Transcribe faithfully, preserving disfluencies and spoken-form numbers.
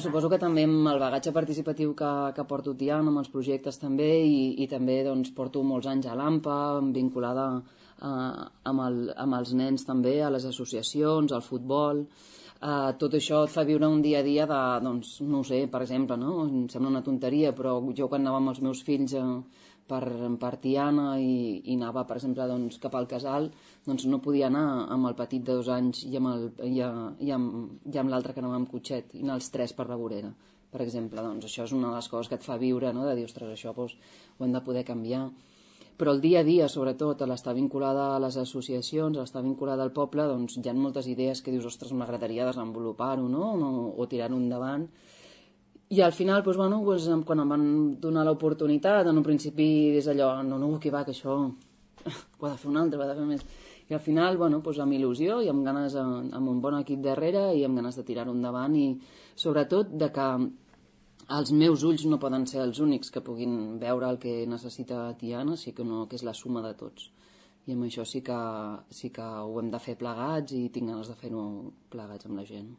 Suposo que també amb el bagatge participatiu que, que porto Tiana, amb els projectes també, i, i també doncs, porto molts anys a l'AMPA, vinculada a, amb, el, amb els nens també, a les associacions, al futbol. Uh, tot això et fa viure un dia a dia de, doncs, no ho sé, per exemple, no? Em sembla una tonteria, però jo quan anava amb els meus fills a, per, per Tiana i, i anava, per exemple, doncs, cap al casal, doncs no podia anar amb el petit de dos anys i amb, el, i, a, i amb, i amb l'altre que anava amb cotxet, i anar els tres per la vorera, per exemple. Doncs això és una de les coses que et fa viure, no? De dir, ostres, això doncs, ho hem de poder canviar. Però el dia a dia, sobretot, a l'estar vinculada a les associacions, a l'estar vinculada al poble, doncs hi ha moltes idees que dius, ostres, m'agradaria desenvolupar-ho, no? no? O tirar-ho endavant. I al final, doncs, bueno, doncs, quan em van donar l'oportunitat, en un principi és allò, no, no, que va, que això ho ha de fer un altre, ho ha de fer més. I al final, bueno, doncs, amb il·lusió i amb ganes, amb un bon equip darrere i amb ganes de tirar-ho endavant i sobretot de que els meus ulls no poden ser els únics que puguin veure el que necessita Tiana, sí que, no, que és la suma de tots. I amb això sí que, sí que ho hem de fer plegats i tinc ganes de fer-ho plegats amb la gent.